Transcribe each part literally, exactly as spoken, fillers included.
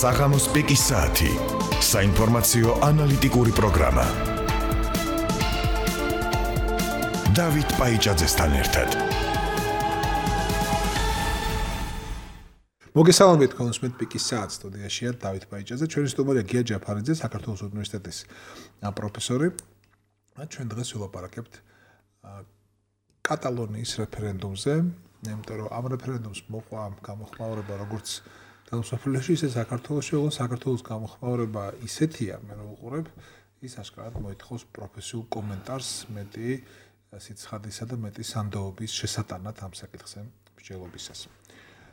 საღამოს პიკის საათი. საინფორმაციო ანალიტიკური პროგრამა. დავით პაიჭაძესთან ერთად. მოგესალმებით კონსმეთ პიკის საათ სტუდიაშია დავით პაიჭაძე, ჩვენი სტუმარია გია ჯაფარიძე, საქართველოს უნივერსიტეტის პროფესორი. ჩვენ დღეს ვილაპარაკებთ კატალონიის რეფერენდუმზე, იმიტომ რომ ამ რეფერენდუმს მოყვა გამოხმაურება როგორც მსოფლიოში, ისე საქართველოში, ოღონდ საქართველოს გამოხმაურება ისეთია, მე რო ვუყურებ, ის აშკარად მოითხოვს პროფესიულ კომენტარს, მეტი სიცხადისა და მეტი სანდოობის შესატანად ამ საკითხზე მსჯელობისას.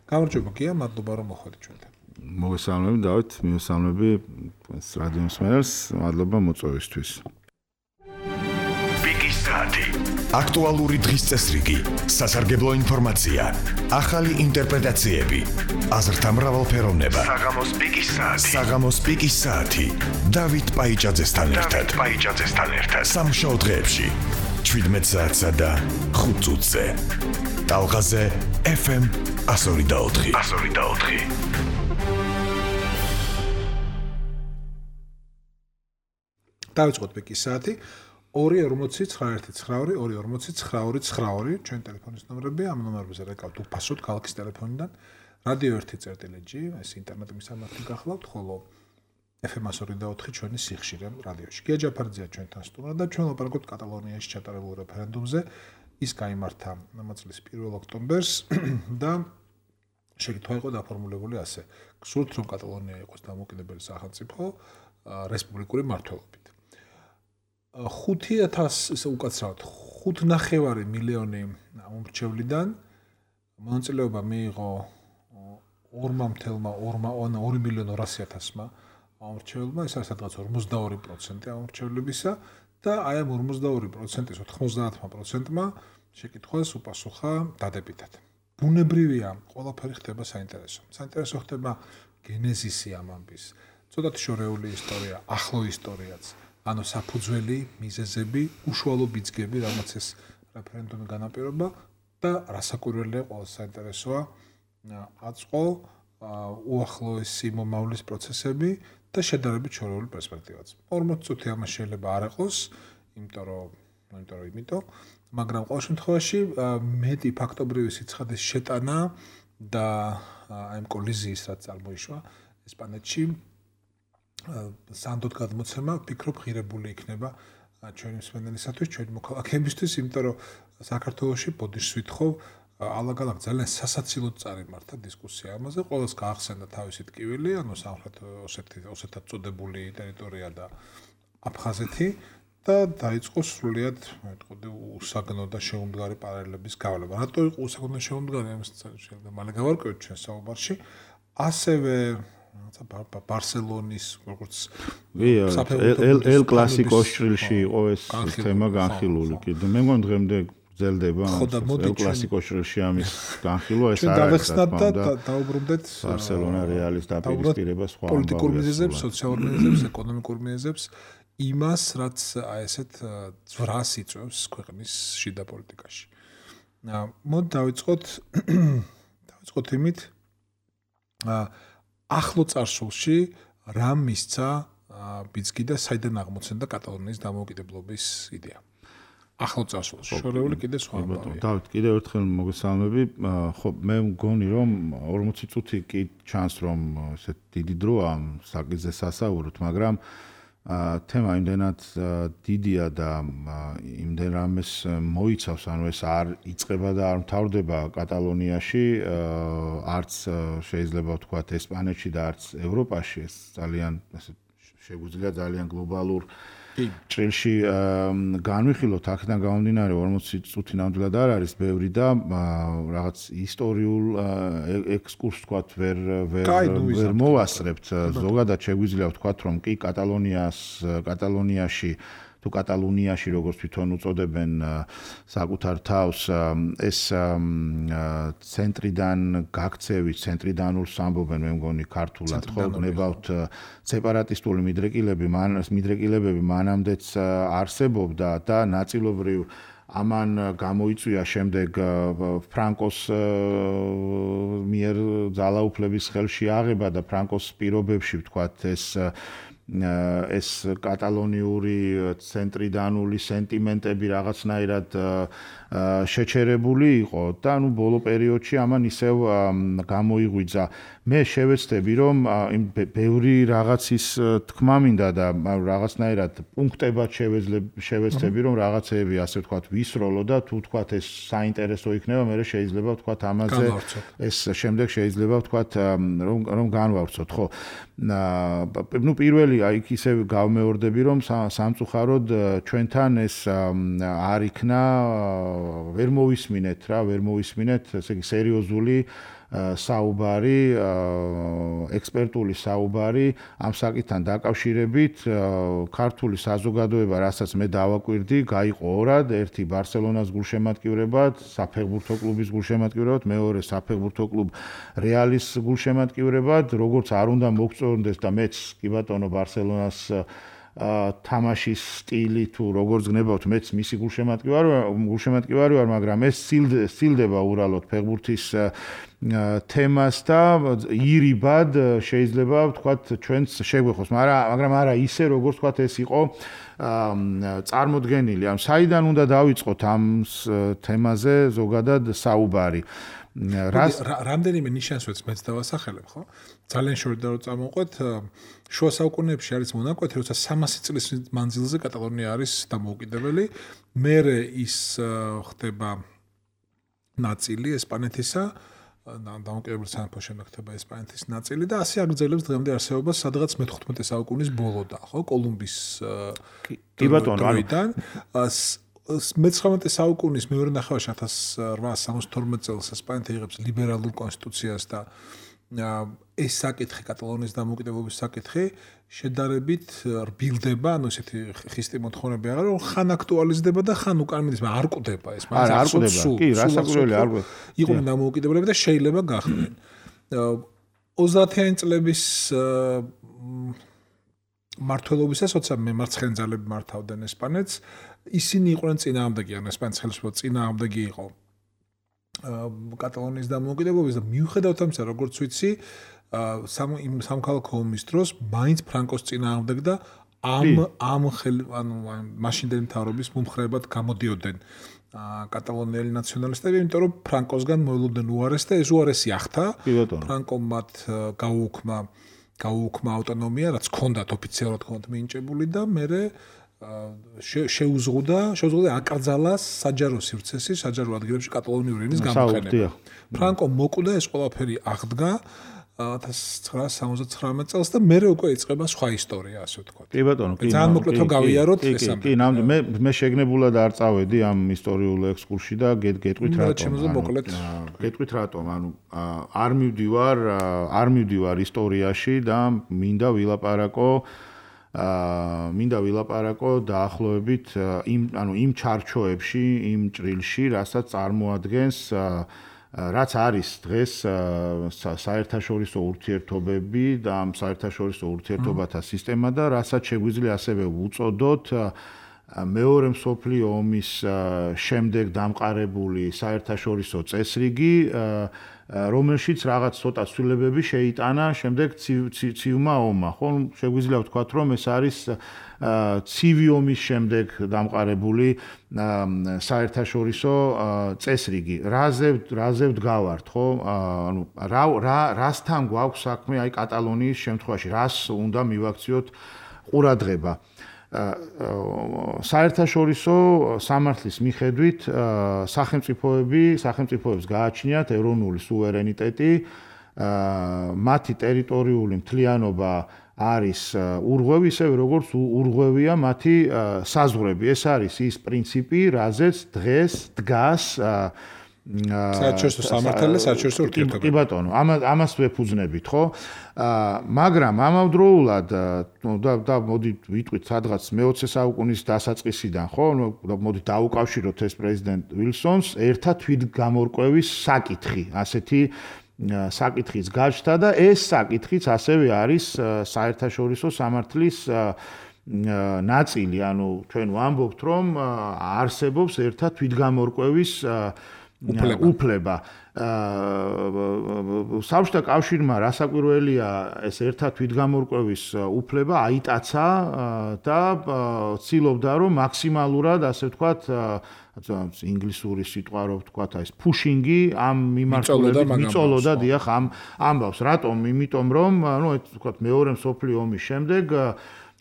გამარჯობა გია, მადლობა რომ მოხვედი ჩვენთან. მოგესალმები დავით, მივესალმები რადიო მსმენელს, მადლობა მოწვევისთვის. პიკის საათი. აქტუალური დღის წესრიგი, სასარგებლო ინფორმაცია, ახალი ინტერპრეტაციები, აზრთა მრავალფეროვნება. საღამოს პიკის საათი. საღამოს პიკის საათი. დავით პაიჭაძესთან ერთად. პაიჭაძესთან ერთად. სამშაბათ დღეებში შვიდმეტ საათსა და ხუთ წუთზე. ტალღაზე ეფ ემ one oh four. one oh four. დავიწყოთ პიკის საათი. ორი ორმოცი ცხრა ერთი ცხრა ორი ორი ორმოცი ცხრა ორი ცხრა ორი ჩვენ ტელეფონის ნომრები, ამ ნომრებზე რეკავთ უფასოდ ქალაქის ტელეფონიდან. რადიო ერთი წერტილი-ჯი, ეს ინტერნეტ მისამართი გახლავთ, ხოლო ეფ ემ one oh four ჩვენი სიხშირე რადიოში. გია ჯაფარიძეა ჩვენთან სტუმრად და ჩვენ ვლაპარაკობთ კატალონიაში ჩატარებულ რეფერენდუმზე. ის გაიმართა ამ წლის პირველ ოქტომბერს და შეკითხვა იყო დაფორმულებული ასე: გსურთ რომ კატალონია იყოს დამოუკიდებელი სახელმწიფო რესპუბლიკური მმართველობით. ხუთი ათასი ისე უკაცრავად ხუთ ნახევარი მილიონი მომრჩევლიდან მონაწილეობა მიიღო ორი მილიონი ორასი ათასმა მომრჩევლმა, ეს არის სადღაც ორმოცდაორი პროცენტი მომრჩევლებისა და აი ამ ორმოცდაორი პროცენტის ოთხმოცდაათმა პროცენტმა შეკითხვას უპასუხა დადებითად. ბუნებრივია, ყველაფერი ხდება საინტერესო. საინტერესო ხდება გენეზისი ამ ამბის, ცოტათი შორეული ისტორია, ახლო ისტორიაც, ანუ საფუძველი, მიზეზები, უშუალო ბიძგები, რამაც ეს რეფერენდუმი განაპირობა და რასაკვირველია ყველა საინტერესოა აწყო უახლოესი მომავლის პროცესები და შედარებით შორეული პერსპექტივაც. ორმოცი წუთი ამას შეიძლება არ იყოს, იმიტომ რომ, იმიტომ რომ იმიტომ, მაგრამ ყოველ შემთხვევაში მეტი ფაქტობრივი სიცხადის შეტანა და აი ამ კოლიზიის რაც წარმოიშვა ესპანეთში სანდოდ გადმოცემა, ვფიქრობ, ღირებული იქნება ჩვენი მსმენელისათვის, ჩვენი მოქალაქეებისთვის, იმიტომ რომ საქართველოში ბოდიშს ვითხოვ ალაგ-ალაგ ძალიან სასაცილოდ წარიმართა დისკუსია ამაზე, ყველას გაახსენდა თავისი ტკივილი, ანუ სამხრეთ ოსეთად წოდებული ტერიტორია და აფხაზეთი და დაიწყო სრულიად, მეტყოდი, უსაგნო და შეუმდგარი პარალელების გავლება. რატო იყო უსაგნო და შეუმდგარი, ამას შეიძლება მალე გავარკვევთ ჩვენ საუბარში. ასევე ბარსელონის როგორც ელ კლასიკოს შრილში იყო ეს თემა განხილული კიდე. მე მგონი დღემდე გრძელდება ელ კლასიკოს შრილში ამის განხილვა, ეს არ არის და დაუბრუნდეთ ბარსელონა რეალის დაპირისპირება სხვა პოლიტიკურ მიზეზებს, სოციალურ მიზეზებს, ეკონომიკურ მიზეზებს, იმას, რაც აი ესეთ ძვრას იწვევს ქვეყნის შიდა პოლიტიკაში. მოდი დავიწყოთ დავიწყოთ იმით ახლო წარსულში რა მისცა ბიძგი და საიდან აღმოცენდა კატალონიის დამოუკიდებლობის იდეა. ახლო წარსულში შორეული კიდე სხვა ამბავია. დავით, კიდევ ერთხელ მოგესალმები. ხო, მე მგონი რომ ორმოცი წუთი კი ჩანს რომ ესეთ დიდი დროა ამ საკითხზე სასაუბროთ, მაგრამ თემა იმდენად დიდია და იმდენ რამეს მოიცავს, ანუ ეს არ იწყება და არ მთავრდება კატალონიაში, არც შეიძლება ვთქვათ ესპანეთში და არც ევროპაში, ეს ძალიან ესე შეგვიძლია ძალიან გლობალურ ჭრილში განვიხილოთ. აქედან გამომდინარე ორმოცი წუთი ნამდვილად არ არის ბევრი და რაღაც ისტორიულ ექსკურსს ვთქვათ ვერ ვერ მოვასწრებთ. ზოგადად შეგვიძლია ვთქვათ რომ კი კატალონიას კატალონიაში თუ კატალუნიაში როგორც თვითონ უწოდებენ საკუთარ თავს, ეს ცენტრიდან გაქცევით, ცენტრიდანულს ამბობენ, მე მგონი ქართულად ხო გნებავთ სეპარატისტული მიდრეკილები, მან მიდრეკილებები მანამდეც არსებობდა და ნაწილობრივ ამან გამოიწვია შემდეგ ფრანკოს მიერ ძალაუფლების ხელში აღება და ფრანკოს პირობებში ვთქვათ ეს ეს კატალონიური ცენტრიდანული სენტიმენტები რაღაცნაირად შეჩერებული იყო და ნუ ბოლო პერიოდში ამან ისევ გამოიღვიძა. მე შევეცდები რომ იმ ბევრი რაღაცის თქმა მინდა და რაღაცნაირად პუნქტებად შევეცდები რომ რაღაცეები ასე ვთქვათ ვისროლო და თუ ვთქვათ ეს საინტერესო იქნება მე შეიძლება ვთქვათ ამაზე ეს შემდეგ შეიძლება ვთქვათ რომ რომ განვავრცოთ ხო ნუ პირველი აი ისე გავმეორდები რომ სამწუხაროდ ჩვენთან ეს არ იქნა ვერ მოვისმინეთ რა ვერ მოვისმინეთ ესე იგი სერიოზული საუბარი ექსპერტული საუბარი ამ საკითხთან დაკავშირებით ქართული საზოგადოება რასაც მე დავაკვირდი გაიყო ორად ერთი ბარსელონას გულშემატკივრებად საფეხბურთო კლუბის გულშემატკივრებად მეორე საფეხბურთო კლუბ რეალის გულშემატკივრებად როგორც არ უნდა მოგწონდეს და მეც კი ბატონო ბარსელონას თამაშის სტილი თუ როგორც გნებავთ მეც მისი გულშემატკივარი გულშემატკივარი ვარ მაგრამ ეს სცილდება ურალოდ ფეხბურთის თემას და ირიბად შეიძლება ვთქვათ ჩვენს შეგვეხოს მაგრამ არა ისე როგორც ვთქვათ ეს იყო წარმოდგენილი ამ საიდან უნდა დავიწყოთ ამ თემაზე ზოგადად საუბარი რამდენიმე ნიშანს ვეც მეც დავასახელებ ხო ძალიან შორდა რომ წამოვყვეთ შუა საუკუნეებში არის მონაკვეთი როცა სამასი წლის მანძილზე კატალონია არის დამოუკიდებელი მერე ის ხდება ნაწილი ესპანეთისა დამოუკიდებელი სამეფოს შემდეგ ხდება ესპანეთის ნაწილი და ასე აგრძელებს დღემდე არსებობას სადღაც მეთხუთმეტე საუკუნის ბოლოდა ხო კოლუმბის კი ბატონო დროიდან მეცხრამეტე საუკუნის მეორე ნახევარში ათას რვაასი სამოცდათორმეტ წელს ესპანეთი იღებს ლიბერალურ კონსტიტუციას და ეს საკითხი კატალონიის დამოუკიდებლობის საკითხი შედარებით რბილდება, ანუ ესეთი ხისტი მოთხოვნები აღარ რომ ხან აქტუალიზდება და ხან უკან მიდის, მაგრამ არ კვდება ეს, მაგრამ არ კვდება. კი, რასაკვირველია არ კვდება. იყვნენ დამოუკიდებლები და შეიძლება გახდნენ. ოცდაათიანი წლების მართლობისას, როცა მემარცხენე ძალები მართავდნენ ესპანეთს, ისინი იყვნენ წინააღმდეგი, ან ესპანეთის ხელისუფლება წინააღმდეგი იყო კატალონიის დამოუკიდებლობის და მიუხედავად ამისა, როგორც ვიცი, იმ სამოქალაქო ომის დროს მაინც ფრანკოს წინააღმდეგ და ამ ამ ანუ მაშინდელი მთავრობის მომხრეებად გამოდიოდნენ კატალონიელი ნაციონალისტები, იმიტომ რომ ფრანკოსგან მოელოდნენ უარეს და ეს უარესი ახთა. ფრანკომ მათ გაუუქმა გაუუქმა ავტონომია, რაც ჰქონდათ ოფიციალურად ჰქონდათ მინიჭებული და მერე შეუზღუდა, შეუზღუდა აკრძალა საჯარო სივრცესი, საჯარო ადგილებში კატალონიური ენის გამოყენება. ფრანკო მოკვდა ეს ყველაფერი აღდგა ათას ცხრაასი სამოცდათვრამეტ წელს და მერე უკვე იწყება სხვა ისტორია, ასე ვთქვათ. კი ბატონო, კი. ძალიან მოკლედ რომ გავიაროთ ეს ამ. კი, ნამდვილად მე მე შეგნებულად არ წავედი ამ ისტორიულ ექსკურსში და გეტყვით რატომ. გეტყვით რატომ, ანუ არ მივდივარ, არ მივდივარ ისტორიაში და მინდა ვილაპარაკო აა მინდა ვილაპარაკო დაახლოებით იმ ანუ იმ ჩარჩოებში, იმ ჭრილში, რასაც წარმოადგენს რაც არის დღეს საერთაშორისო ურთიერთობები და ამ საერთაშორისო ურთიერთობათა სისტემა და რასაც შეგვიძლია ასევე უწოდოთ მეორე მსოფლიო ომის შემდეგ დამყარებული საერთაშორისო წესრიგი რომელშიც რაღაც ცოტა ცვლილებები შეიტანა შემდეგ ცივმა ომმა, ხო? შეგვიძლია ვთქვათ, რომ ეს არის ცივი ომის შემდეგ დამყარებული საერთაშორისო წესრიგი. რაზე რაზე ვდგავართ, ხო? ანუ რა რა რასთან გვაქვს საქმე აი კატალონიის შემთხვევაში, რას უნდა მივაქციოთ ყურადღება. საერთაშორისო სამართლის მიხედვით სახელმწიფოები, სახელმწიფოებს გააჩნიათ ეროვნული სუვერენიტეტი, მათი ტერიტორიული მთლიანობა არის ურღვევი, ისევე როგორც ურღვევია მათი საზღვრები. ეს არის ის პრინციპი, რაზეც დღეს დგას საერთაშორისო სამართალი, საერთაშორისო ურთიერთობები. კი ბატონო, ამას ვეფუძნებით, ხო? მაგრამ ამავდროულად და და მოდი ვიტყვით სადღაც მეოცე საუკუნის დასაწყისიდან, ხო? მოდი დაუკავშიროთ ეს პრეზიდენტ ვილსონს ერთა თვითგამორკვევის საკითხი, ასეთი საკითხის გაჩნდა და ეს საკითხიც ასევე არის საერთაშორისო სამართლის ნაწილი, ანუ ჩვენ ვამბობთ, რომ არსებობს ერთად თვითგამორკვევის უფლება. საბჭოთა კავშირმა რასაკვირველია ეს ერთად თვითგამორკვევის უფლება აიტაცა და ცდილობდა რომ მაქსიმალურად ასე ვთქვათ ინგლისური სიტყვა რო ვთქვათ ეს pushing-ი ამ მიმართულებით მიწოლოდა დიახ ამ ამბავს რატომ იმიტომ რომ ნუ ვთქვათ მეორე მსოფლიო ომის შემდეგ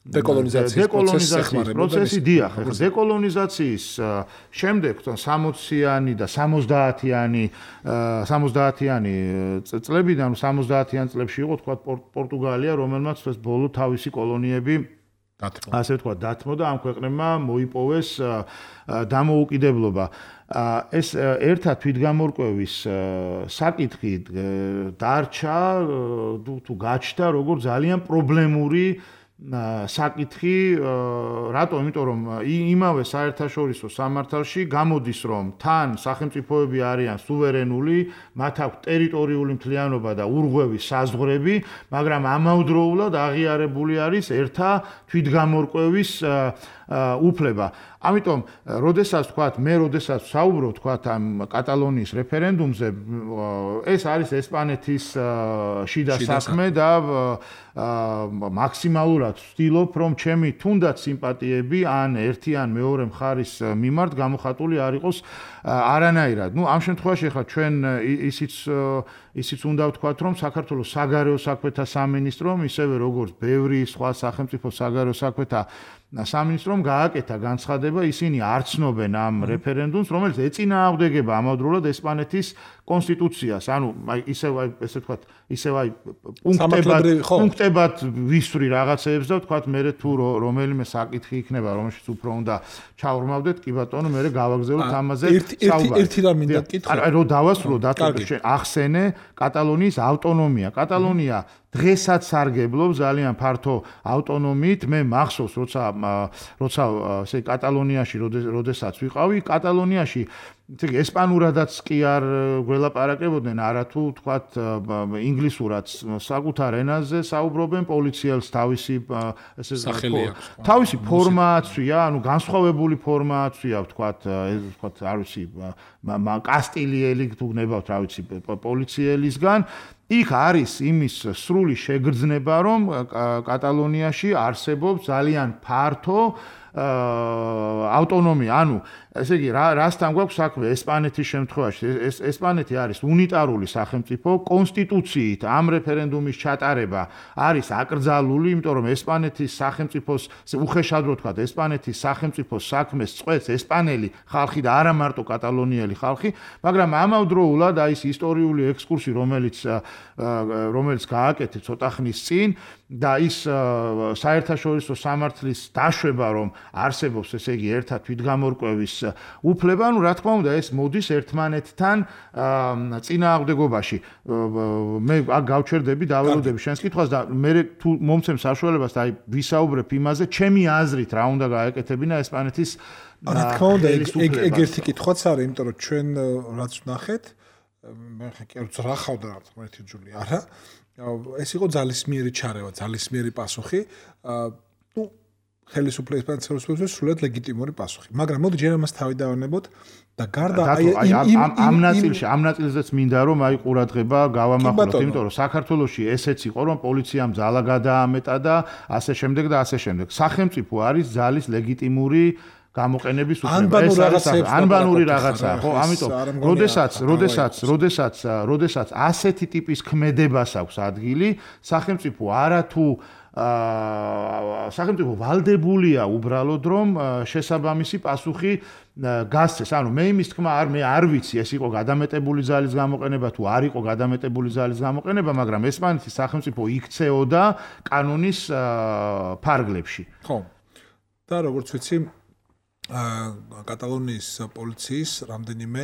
დეკოლონიზაციის პროცესი დიახ ახლა დეკოლონიზაციის შემდეგ სამოციანი და სამოცდაათიანი სამოცდაათიანი წლებიდან სამოცდაათიან წლებში იყო თქვა პორტუგალია რომელმაც ეს ბოლო თავისი კოლონიები ასე ვთქვა დათმო და ამ ქვეყნებმა მოიპოვეს დამოუკიდებლობა ეს ერთად თვითგამორკვევის საკითხი დარჩა თუ გაჩნდა როგორც ძალიან პრობლემური საკითხი რატომ იმიტომ რომ იმავე საერთაშორისო სამართალში გამოდის რომ თან სახელმწიფოები არიან სუვერენული მათ აქვს ტერიტორიული მთლიანობა და ურღვევის საზღვრები მაგრამ ამავდროულად აღიარებული არის ერთა თვითგამორკვევის უფლება ამიტომ როდესაც თქვათ მე როდესაც საუბრობ თქვათ ამ კატალონიის რეფერენდუმზე ეს არის ესპანეთის შიდა საქმე და მაქსიმალურად ვცდილობ რომ ჩემი თუნდაც სიმპათიები ან ერთი ან მეორე მხარის მიმართ გამოხატული არ იყოს არანაირად ნუ ამ შემთხვევაში ახლა ჩვენ ისიც ისიც უნდა ვთქვათ რომ საქართველოს საგარეო საქმეთა სამინისტრომ ისევე როგორც ბევრი სხვა სახელმწიფო საგარეო საქმეთა სამინისტრომ გააკეთა განცხადება ისინი არ ცნობენ ამ რეფერენდუმს რომელიც ეწინააღმდეგება ამავდროულად ესპანეთის კონსტიტუციას ანუ ისევ ესე ვთქვათ ისევ აი პუნქტებად პუნქტებად ვისვრი რაღაცეებს და ვთქვათ მე თუ რომელიმე საკითხი იქნება რომელშიც უფრო უნდა ჩაურმავდეთ კი ბატონო მე გავაგზავნოთ ამაზე საუბარი ერთი რამ მინდა გკითხო აი რო დავასრულო დათო ახსენე კატალონიის ავტონომია კატალონია დღესაც სარგებლობს ძალიან ფართო ავტონომიით მე მახსოვს როცა როცა ესე კატალონიაში როდესაც ვიყავი კატალონიაში ისე ესპანურადაც კი არ გველაპარაკებოდნენ არათუ თქვათ ინგლისურად საკუთარ ენაზე საუბრობენ პოლიციელს თავისი ესე თავისი ფორმა აცვია ანუ განსხვავებული ფორმა აცვია ვთქვათ ეს ვთქვათ არ ვიცი კასტილიელი თუ გნებავთ რა ვიცი პოლიციელისგან იქ არის იმის სრული შეგრძნება რომ კატალონიაში არსებობს ძალიან ფართო ავტონომია ანუ ესე იგი რა რასთან გვაქვს საქმე ესპანეთის შემთხვევაში ეს ესპანეთი არის უნიტარული სახელმწიფო კონსტიტუციით ამ რეფერენდუმის ჩატარება არის აკრძალული იმიტომ რომ ესპანეთის სახელმწიფოს უხეშად რო თქვა ესპანეთის სახელმწიფოს საქმეს წყვეტს ესპანელი ხალხი და არა მარტო კატალონიელი ხალხი მაგრამ ამავდროულად აი ეს ისტორიული ექსკურსი რომელიც რომელიც გააკეთე ცოტა ხნის წინ და ის საერთაშორისო სამართლის დაშვება რომ არსებობს ესე იგი ერთად თვითგამორკვევის უფლება, ну რა თქმა უნდა ეს მოდის ერთმანეთთან წინააღმდეგობაში. მე აქ გავჩერდები, დაველოდები შენს კითხვას და მე თუ მომცემ საშუალებას და აი ვისაუბრებ იმაზე, ჩემი აზრით რა უნდა გაეკეთებინა ესპანეთის რა თქმა უნდა ეგ ეგ ერთი კითხვაც არის, იმიტომ რომ ჩვენ რაც ვნახეთ, მე ხე რა ხავდა რა თქმა ერთი ჯული არა. ეს იყო ძალისმიერი ჩარევა, ძალისმიერი პასუხი. ну ხელისუფლების პანცელოსებს სულად ლეგიტიმური პასუხი. მაგრამ მოდი ჯერ ამას თავი დავანებოთ და გარდა აი ამ ნაწილში, ამ ნაწილზეც მინდა რომ აი ყურადღება გავამახვილოთ, იმიტომ რომ საქართველოში ესეც იყო რომ პოლიციამ ძალა გადაამეტა და ასე შემდეგ და ასე შემდეგ. სახელმწიფო არის ძალის ლეგიტიმური გამოყენების უფლება. ეს არის ანბანური რაღაცა, ხო? ამიტომ როდესაც, როდესაც, როდესაც, როდესაც ასეთი ტიპის ქმედებას აქვს ადგილი, სახელმწიფო არათუ აა სახელმწიფო ვალდებულია უბრალოდ რომ შესაბამისი პასუხი გასცეს. ანუ მე იმის თქმა არ მე არ ვიცი ეს იყო გადამეტებული ძალის გამოყენება თუ არ იყო გადამეტებული ძალის გამოყენება, მაგრამ ესპანეთის სახელმწიფო იქცეოდა კანონის ფარგლებში. ხო. და როგორც ვიცი კატალონიის პოლიციის რამდენიმე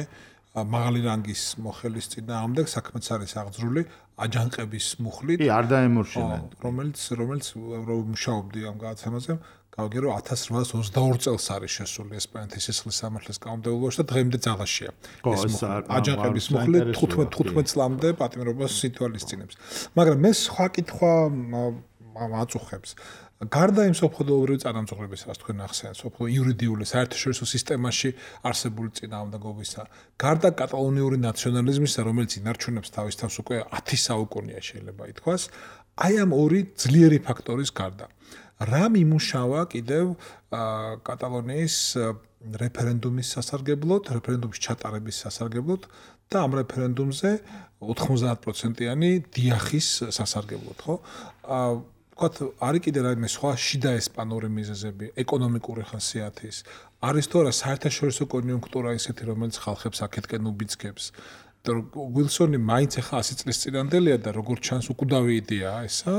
მაღალი რანგის მოხელის წინააღმდეგ საქმეც არის აღძრული აჯანყების მუხლით. კი, არ დაემორჩილა. რომელიც რომელიც მუშაობდი ამ გადაცემაზე, გავიგე რომ ათას რვაას ოცდაორი წელს არის შესული ესპანეთის სისხლის სამართლის კანონმდებლობაში და დღემდე ძალაშია. ეს აჯანყების მუხლი თხუთმეტ წლამდე პატიმრობას ითვალისწინებს. მაგრამ მე სხვა კითხვა აწუხებს. გარდა იმ სოფლოვრივი წარმომადგენლობისა, თქვენ ახსენეთ, სოფლო იურიდიული საერთაშორისო სისტემაში არსებული წინააღმდეგობისა, გარდა კატალონიური ნაციონალიზმისა, რომელიც ინარჩუნებს თავის თავს უკვე ათი საუკუნეა შეიძლება ითქვას, აი ამ ორი ძლიერი ფაქტორის გარდა. რა მიმუშავა კიდევ კატალონიის რეფერენდუმის სასარგებლოდ, რეფერენდუმის ჩატარების სასარგებლოდ და ამ რეფერენდუმზე ოთხმოცდაათ პროცენტიანი დიახის სასარგებლოდ, ხო? ვთქვათ, არის კიდე რაიმე სხვა შიდა ესპანური მიზეზები, ეკონომიკური ხასიათის, არის თუ არა საერთაშორისო კონიუნქტურა ისეთი, რომელიც ხალხებს აქეთკენ უბიძგებს. Wilson-ი მაინც ახლა ასი წლის წინანდელია და როგორც ჩანს უკვდავი იდეაა ესა,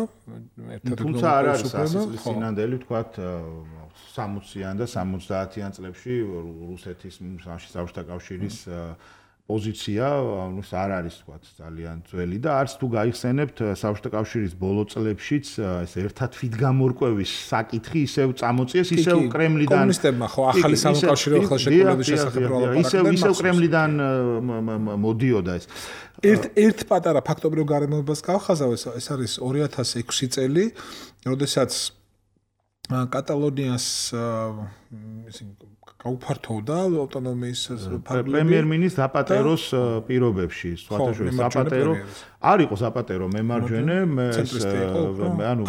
ერთად თუმცა არ არის ასი წლის წინანდელი, ვთქვათ, სამოციან და სამოცდაათიან წლებში რუსეთის საბჭოთა კავშირის პოზიცია, ანუ არ არის თქვათ ძალიან ძველი და არც თუ გაიხსენებთ საბჭოთა კავშირის ბოლო წლებშიც ეს ერთად თვითგამორკვევის საკითხი ისევ წამოწიეს, ისევ კრემლიდან კომუნისტებმა ხო ახალი სამოუკავშირო ხელშეკრულების შესახებ პროპაგანდა ისევ ისევ კრემლიდან მოდიოდა ეს. ერთ ერთ პატარა ფაქტობრივ გარემოებას გავხაზავ, ეს არის ორი ათას ექვსი წელი, როდესაც კატალონიას გაუფართოვდა ავტონომიის პრემიერ-მინისტრ ზაპატეროს პირობებში, სხვათა შორის ზაპატერო არ იყო ზაპატერო მემარჯვენე, ანუ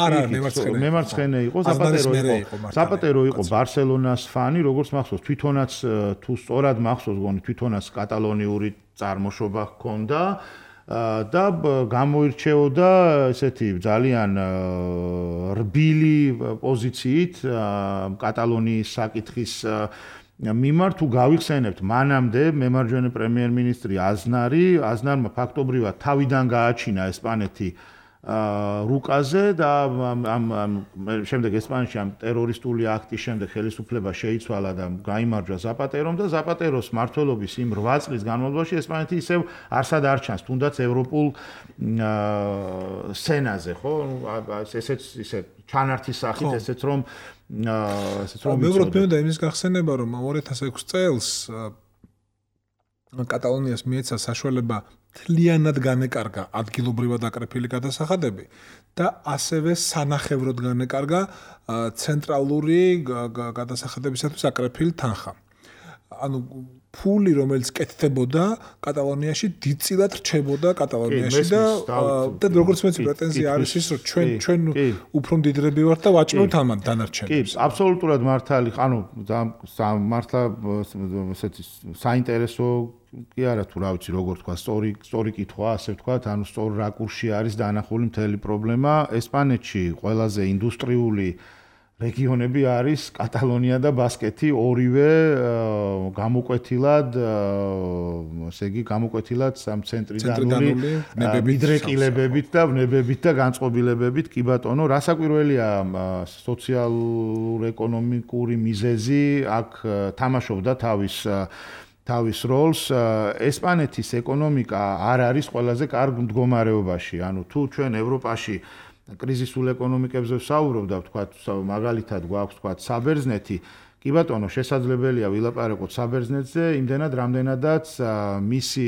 მემარცხენე იყო ზაპატერო იყო. ზაპატერო იყო ბარსელონას ფანი, როგორც მახსოვს, თვითონაც თუ სწორად მახსოვს, გონი თვითონაც კატალონიური წარმოშობა ჰქონდა. და გამოირჩეოდა ესეთი ძალიან რბილი პოზიციით კატალონიის საკითხის მიმართ თუ გავიხსენებთ მანამდე მემარჯვენე პრემიერ-მინისტრი აზნარი აზნარმა ფაქტობრივად თავიდან გააჩინა ესპანეთი რუკაზე და ამ შემდეგ ესპანეთში ამ ტერორისტული აქტის შემდეგ ხელისუფლება შეიცვალა და გაიმარჯვა ზაპატერომ და ზაპატეროს მმართველობის იმ რვა წლის განმავლობაში ესპანეთი ისევ არსად არ ჩანს თუნდაც ევროპულ სცენაზე ხო ესეც ისე ჩანართის სახით ესეც რომ ესეც რომ მეუბრალოდ მე და იმის გახსენება რომ ორი ათას ექვსი წელს კატალონიას მიეცა საშუალება თლიანად განეკარგა ადგილობრივად აკრეფილი გადასახადები და ასევე სანახევროდ განეკარგა ცენტრალური გადასახადებისათვის აკრეფილი თანხა. ანუ ფული რომელიც კეთდებოდა კატალონიაში დიდწილად რჩებოდა კატალონიაში და და როგორც მეც პრეტენზია არის ის რომ ჩვენ ჩვენ უფრო მდიდრები ვართ და ვაჭმევთ ამან დანარჩენებს. კი, აბსოლუტურად მართალი, ანუ მართლა ესეთი საინტერესო კი არა თუ რა ვიცი როგორ თქვა სწორი სწორი კითხვა ასე ვთქვა ანუ სწორ რაკურსში არის დაანახული მთელი პრობლემა ესპანეთში ყველაზე ინდუსტრიული რეგიონები არის კატალონია და ბასკეთი ორივე გამოკვეთილად ესე იგი გამოკვეთილად სამ ცენტრიდანული მიდრეკილებებით და ვნებებით და განწყობილებებით კი ბატონო რასაკვირველია სოციალურ-ეკონომიკური მიზეზი აქ თამაშობდა თავის თავის როლს ესპანეთის ეკონომიკა არ არის ყველაზე კარგ მდგომარეობაში. ანუ თუ ჩვენ ევროპაში კრიზისულ ეკონომიკებზე ვსაუბრობ და ვთქვათ მაგალითად გვაქვს ვთქვათ საბერძნეთი, კი ბატონო შესაძლებელია ვილაპარაკოთ საბერძნეთზე, იმდენად რამდენადაც მისი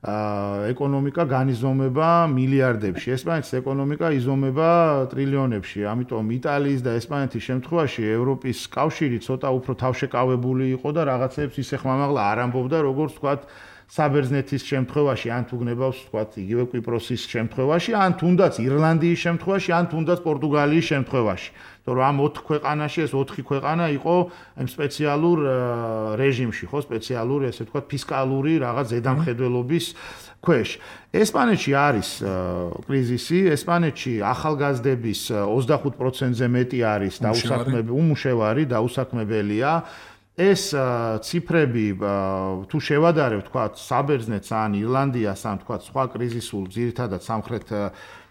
ეკონომიკა განიზომება მილიარდებში. ესპანეთის ეკონომიკა იზომება ტრილიონებში. ამიტომ იტალიის და ესპანეთის შემთხვევაში ევროპის კავშირი ცოტა უფრო თავშეკავებული იყო და რაღაცებს ისე ხმამაღლა არ ამბობდა, როგორც ვთქვათ საბერძნეთის შემთხვევაში, ან თუ გნებავს ვთქვათ იგივე კვიპროსის შემთხვევაში, ან თუნდაც ირლანდიის შემთხვევაში, ან თუნდაც პორტუგალიის შემთხვევაში. თორემ ამ ოთხ ქვეყანაში ეს ოთხი ქვეყანა იყო იმ სპეციალურ რეჟიმში, ხო, სპეციალური, ესე ვთქვათ, ფისკალური რაღაც ზედამხედველობის ქვეშ. ესპანეთში არის კრიზისი, ესპანეთში ახალგაზრდების ოცდახუთ პროცენტზე მეტი არის დაუსაქმებელი, უმუშევარი, დაუსაქმებელია. ეს ციფრები თუ შევადარებ, ვთქვათ, საბერძნეთს ან ირლანდიას, ან ვთქვათ, სხვა კრიზისულ ძირითადად სამხრეთ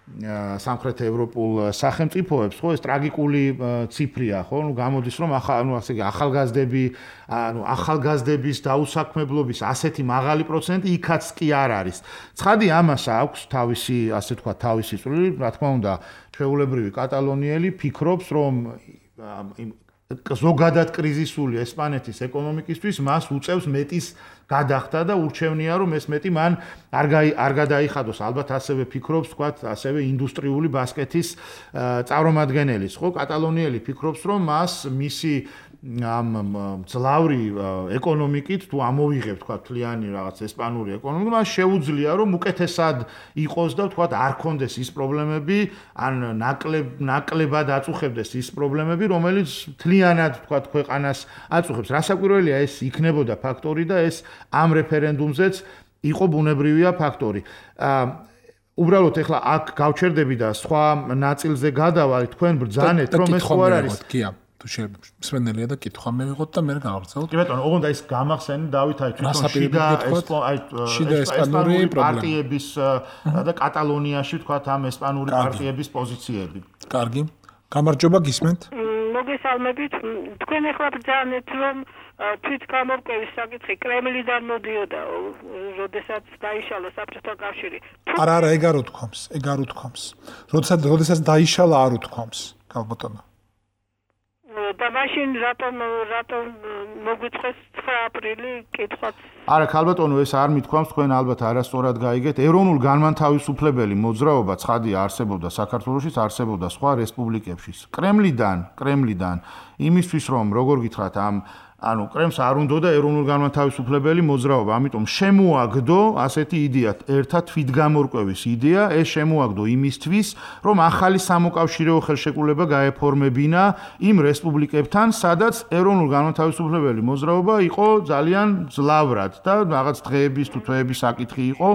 სამხრეთ ევროპულ სახელმწიფოებს, ხო, ეს ტრაგიკული ციფრია, ხო? ნუ გამოდის, რომ ახალ, ნუ ასე იგი ახალგაზრდები, ანუ ახალგაზრდების დაუსაქმებლობის ასეთი მაღალი პროცენტი იქაც კი არ არის. ცხადი ამას აქვს თავისი, ასე ვთქვათ, თავისი წვლილი, რა თქმა უნდა, ჩვეულებრივი კატალონიელი ფიქრობს, რომ ზოგადად კრიზისული ესპანეთის ეკონომიკისთვის მას უწევს მეტის გადახდა და ურჩევნია რომ ეს მეტი მან არ არ გადაიხადოს ალბათ ასევე ფიქრობს თქვათ ასევე ინდუსტრიული ბასკეთის წარმომადგენლის ხო კატალონიელი ფიქრობს რომ მას მისი ამ ძლავრი ეკონომიკით თუ ამოვიღებ თქვა თლიანი რაღაც ესპანური ეკონომიკა მას შეუძლია რომ უკეთესად იყოს და თქვა არ კონდეს ის პრობლემები ან ნაკლებ ნაკლებად აწუხებდეს ის პრობლემები რომელიც თლიანად თქვა ქვეყანას აწუხებს რასაკვირველია ეს იქნებოდა ფაქტორი და ეს ამ რეფერენდუმზეც იყო ბუნებრივია ფაქტორი უბრალოდ ეხლა აქ გავჩერდები და სხვა ნაწილზე გადავალ თქვენ ბრძანეთ რომ ეს ხო არ არის თუ შემსმენელია და კითხვა მივიღოთ და მე გავაგრძელოთ. კი ბატონო, ოღონდ ის გამახსენე დავით აი თვითონ შიდა ესპანური პარტიების და კატალონიაში თქვა ამ ესპანური პარტიების პოზიციები. კარგი. გამარჯობა გისმენთ? მოგესალმებით. თქვენ ახლა ბრძანეთ რომ თვით გამორკვევის საკითხი კრემლიდან მოდიოდა, როდესაც დაიშალა საბჭოთა კავშირი. არა, არა, ეგ არ უთქვამს, ეგ არ უთქვამს. როდესაც როდესაც დაიშალა არ უთქვამს, გალბატონო. და მაშინ რატომ რატომ მოგვიწყეს ცხრა აპრილი კითხვაც არა ქალბატონო ეს არ მithქვამს თქვენ ალბათ არასწორად გაიგეთ ეროვნულ განმანთავისუფლებელი მოძრაობა ცხადია არსებობდა საქართველოშიც არსებობდა სხვა რესპუბლიკებშიც კრემლიდან კრემლიდან იმისთვის რომ როგორ გითხრათ ამ ანუ კრემს არ უნდოდა ეროვნულ განმანთავისუფლებელი მოძრაობა ამიტომ შემოაგდო ასეთი იდეა ერთად თვითგამორკვევის იდეა ეს შემოაგდო იმისთვის რომ ახალი სამოკავშირეო ხელშეკრულება გაეფორმებინა იმ რესპუბლიკებთან სადაც ეროვნულ განმანთავისუფლებელი მოძრაობა იყო ძალიან ძლავრად და რაღაც დღეების თუ თვეების საკითხი იყო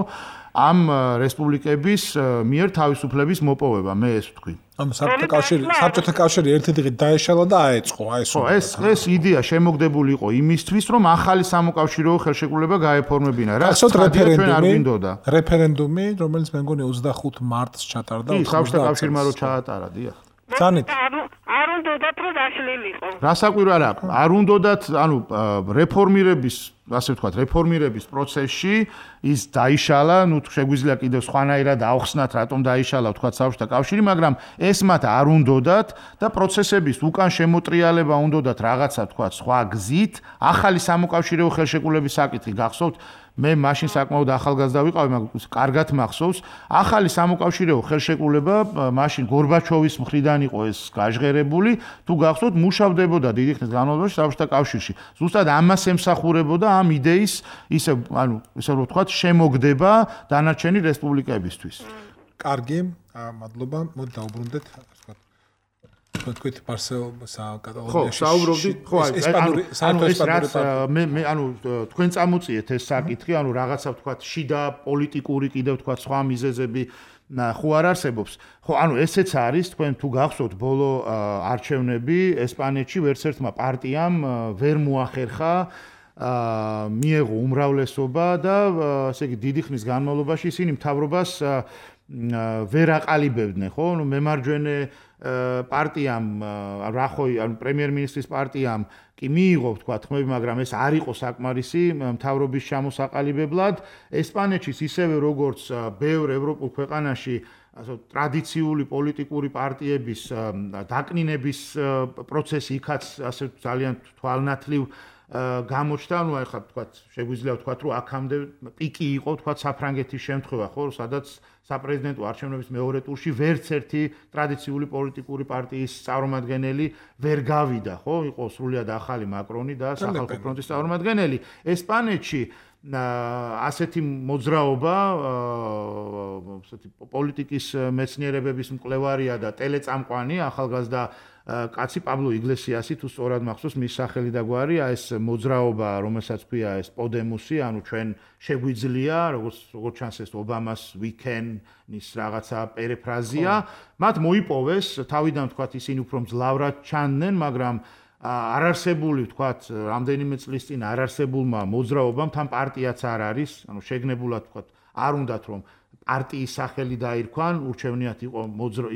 ამ რესპუბლიკების მიერ თავისუფლების მოპოვება მე ეს ვთქვი ამ საბჭოთა კავშირი საბჭოთა კავშირი ერთი დღით დაეშალა და აეწყო აი ეს ხო ეს ეს იდეა შემოგდებული იყო იმისთვის რომ ახალი სამოკავშირეო ხელშეკრულება გაეფორმებინა რა რეფერენდუმი რეფერენდუმი რომელიც მე მგონი ოცდახუთ მარტს ჩატარდა საბჭოთა კავშირმა რო ჩაატარა დიახ ძანით არ უნდათ რომ დაშლილიყო რასაკვირო არა არ უნდათ ანუ რეფორმირების ასე ვთქვათ რეფორმირების პროცესში ის დაიშალა ნუ შეგვიძლია კიდევ სხვანაირად აუხსნათ რატომ დაიშალა ვთქვათ საბჭოთა კავშირი მაგრამ ეს მათ არ უნდათ და პროცესების უკან შემოტრიალება უნდათ რაღაცა ვთქვათ სხვა გზით ახალი სამოკავშირეო ხელშეკრულების საკითხი გახსოვთ მე მაშინ საკმაოდ ახალგაზრდა ვიყავი, მაგრამ კარგად მახსოვს, ახალი სამოკავშირეო ხელშეკრულება მაშინ გორბაჩოვის მხრიდან იყო ეს გაჟღერებული, თუ გახსოვთ, მუშავდებოდა დიდი ხნის განმავლობაში საბჭოთა კავშირში. ზუსტად ამას ემსახურებოდა ამ იდეის ისე, ანუ, ისე რომ ვთქვათ, შემოგდება დანარჩენი რესპუბლიკებისთვის. კარგი, მადლობა, მოდი დავუბრუნდეთ, ვთქვათ თქვენ პარსელ საკატალონიაში ხო საუბრობდით ხო ანუ ანუ ეს რაც მე მე ანუ თქვენ წამოწიეთ ეს საკითხი ანუ რაღაცა ვთქვათ შიდა პოლიტიკური კიდევ ვთქვათ სხვა მიზეზები ხო არ არსებობს ხო ანუ ესეც არის თქვენ თუ გახსოვთ ბოლო არჩევნები ესპანეთში ვერც ერთმა პარტიამ ვერ მოახერხა მიეღო უმრავლესობა და ესე იგი დიდი ხნის განმავლობაში ისინი მთავრობას ვერ აყალიბებდნენ ხო ნუ მემარჯვენე პარტიამ რა ხო ანუ პრემიერ-მინისტრის პარტიამ კი მიიღო თქვა თქმები მაგრამ ეს არ იყო საკმარისი მთავრობის ჩამოსაყალიბებლად ესპანეთში ისევე როგორც ბევრ ევროპულ ქვეყანაში ასე ტრადიციული პოლიტიკური პარტიების დაკნინების პროცესი იქაც ასე ძალიან თვალნათლივ გამოჩნდა, ну ახლა თქვათ, შეგვიძლია ვთქვათ, რომ აქამდე პიკი იყო, თქვათ, საფრანგეთის შემთხვევა, ხო, სადაც საპრეზიდენტო არჩევნების მეორე ტურში ვერც ერთი ტრადიციული პოლიტიკური პარტიის წარმომადგენელი ვერ გავიდა, ხო, იყო სრულიად ახალი მაკრონი და სახალხო ფრონტის წარმომადგენელი. ესპანეთში ასეთი მოძრაობა, ასეთი პოლიტიკის მეცნიერებების მკვლევარია და ტელეწამყვანი ახალგაზრდა კაცი პაბლო იგლესიასი თუ სწორად მახსოვს მის სახელი და გვარია ეს მოძრაობა რომელსაც ქვია ეს პოდემუსი ანუ ჩვენ შეგვიძლია როგორც როგორც ჩანს ეს ობამას weekend-ის რაღაცა პერიფრაზია მათ მოიპოვეს თავიდან თქვათ ისინი უფრო მძლავრად ჩანდნენ მაგრამ არარსებული თქვათ რამდენიმე წლის წინ არარსებულმა მოძრაობამ თან პარტიაც არ არის ანუ შეგნებულად თქვათ არ უნდათ რომ პარტიის სახელი დაირქვან ურჩევნიათ იყო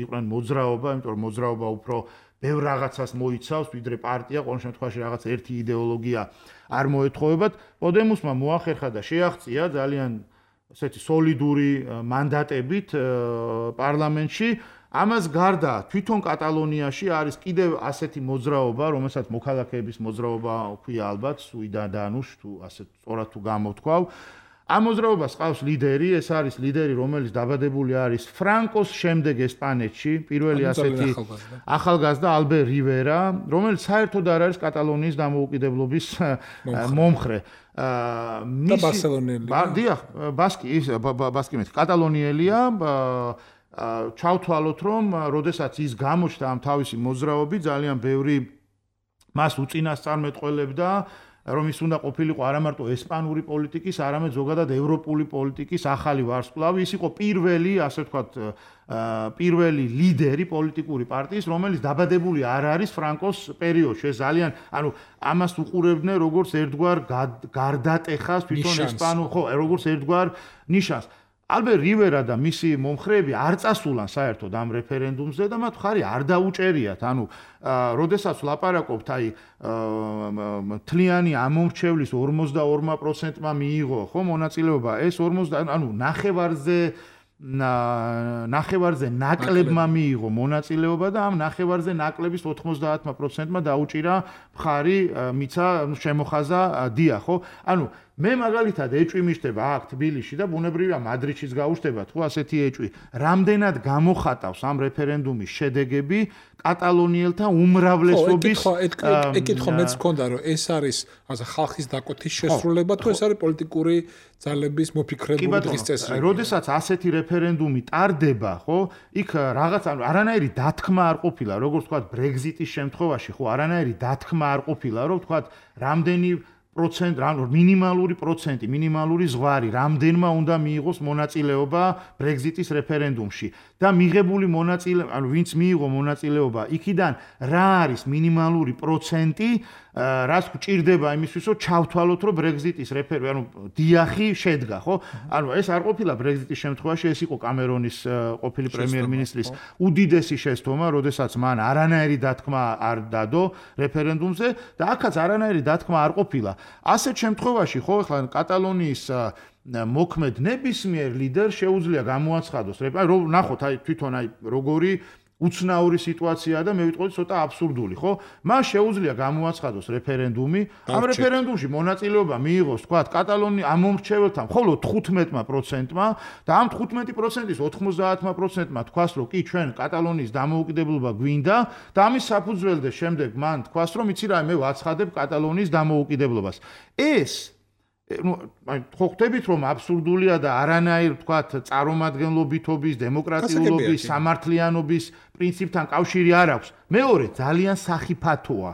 იყვნენ მოძრაობა იმიტომ რომ მოძრაობა უფრო ბევრ რაღაცას მოიცავს, ვიდრე პარტია, ყოველ შემთხვევაში რაღაც ერთი იდეოლოგია არ მოეთხოვებათ. პოდემუსმა მოახერხა და შეაღწია ძალიან ესეთი სოლიდური მანდატებით პარლამენტში. ამას გარდა თვითონ კატალონიაში არის კიდევ ასეთი მოძრაობა, რომელსაც მოქალაქეების მოძრაობა ქვია ალბათ, სუიდადანუს თუ ასე სწორად თუ გამოთქვავ. ამ მოძრაობას ყავს ლიდერი, ეს არის ლიდერი, რომელიც დაბადებული არის ფრანკოს შემდეგ ესპანეთში, პირველი ასეთი ახალგაზრდა ალბერ რივერა, რომელიც საერთოდ არ არის კატალონიის დამოუკიდებლობის მომხრე. და ბარსელონელია. დიახ, ბასკი, ის ბასკი მე კატალონიელია. ჩავთვალოთ, რომ როდესაც ის გამოჩნდა ამ თავისი მოძრაობით, ძალიან ბევრი მას უწინასწარმეტყველებდა, რომ ის უნდა ყოფილიყო არა მარტო ესპანური პოლიტიკის, არამედ ზოგადად ევროპული პოლიტიკის ახალი ვარსკვლავი. ის იყო პირველი, ასე ვთქვათ, პირველი ლიდერი პოლიტიკური პარტიის, რომელიც დაბადებული არ არის ფრანკოს პერიოდში. ეს ძალიან, ანუ ამას უყურებდნენ როგორც ერთგვარ გარდატეხას თვითონ ესპანურ, ხო, როგორც ერთგვარ ნიშანს. ალბერ რივერა და მისი მომხრეები არ წასულან საერთოდ ამ რეფერენდუმზე და მათ ხარი არ დაუჭერიათ. ანუ, როდესაც ვლაპარაკობთ, აი, თლიანი ამომრჩევლის ორმოცდაორ პროცენტმა მიიღო, ხო, მონაწილეობა, ეს ორმოცდა, ანუ ნახევარზე ნახევარზე ნაკლებმა მიიღო მონაწილეობა და ამ ნახევარზე ნაკლების ოთხმოცდაათ პროცენტმა დაუჭირა მხარი, მიცა შემოხაზა დია, ხო? ანუ მე მაგალითად ეჭვი მიჩნდება აქ თბილისში და ბუნებრივია მადრიდშიც გაუჩნდებათ, ხო, ასეთი ეჭვი. რამდენად გამოხატავს ამ რეფერენდუმის შედეგები კატალონიელთა უმრავლესობის ეკითხო მეც მქონდა, რომ ეს არის ასე ხალხის დაკვეთის შესრულება თუ ეს არის პოლიტიკური ძალების მოფიქრებული დღის წესრიგი. როდესაც ასეთი რეფერენდუმი ტარდება, ხო, იქ რაღაც არანაირი დათქმა არ ყოფილა, როგორც ვთქვათ, ბრეგზიტის შემთხვევაში, ხო, არანაირი დათქმა არ ყოფილა, რომ ვთქვათ, რამდენი პროცენტ, მინიმალური პროცენტი, მინიმალური ზღვარი, რამდენმა უნდა მიიღოს მონაწილეობა ბრეგზიტის რეფერენდუმში და მიღებული მონაწილეობა, ანუ ვინც მიიღო მონაწილეობა, იქიდან რა არის მინიმალური პროცენტი, რაც გვჭირდება იმისთვის, რომ ჩავთვალოთ, რომ ბრეგზიტის რეფერენდუმი, ანუ დიახი შედგა, ხო? ანუ ეს არ ყოფილა ბრეგზიტის შემთხვევაში, ეს იყო კამერონის ყოფილი პრემიერ-მინისტრის უდიდესი შეცდომა, როდესაც მან არანაირი დათქმა არ დადო რეფერენდუმზე და აქაც არანაირი დათქმა არ ყოფილა. ასეთ შემთხვევაში, ხო, ახლა კატალონიის მოქმედ ნებისმიერ ლიდერს შეუძლია გამოაცხადოს, რომ ნახოთ, აი თვითონ აი როგორი უცნაური სიტუაციაა და მე ვიტყოდი ცოტა აბსურდული, ხო? მას შეუძლია გამოაცხადოს რეფერენდუმი, ამ რეფერენდუმში მონაწილეობა მიიღოს, თქვათ, კატალონიის ამომრჩეველთა მხოლოდ თხუთმეტ პროცენტმა და ამ თხუთმეტ პროცენტის ოთხმოცდაათ პროცენტმა თქვას, რომ კი ჩვენ კატალონიის დამოუკიდებლობა გვინდა და ამის საფუძველზე შემდეგ მან თქვას, რომ იცი რა, მე ვაცხადებ კატალონიის დამოუკიდებლობას. ეს ну, ხო ხვდებით რომ აბსურდულია და არანაირ თქვათ წარმომადგენლობითობის, დემოკრატიულობის, სამართლიანობის პრინციპთან კავშირი არ აქვს. მეორე ძალიან სახიფათოა.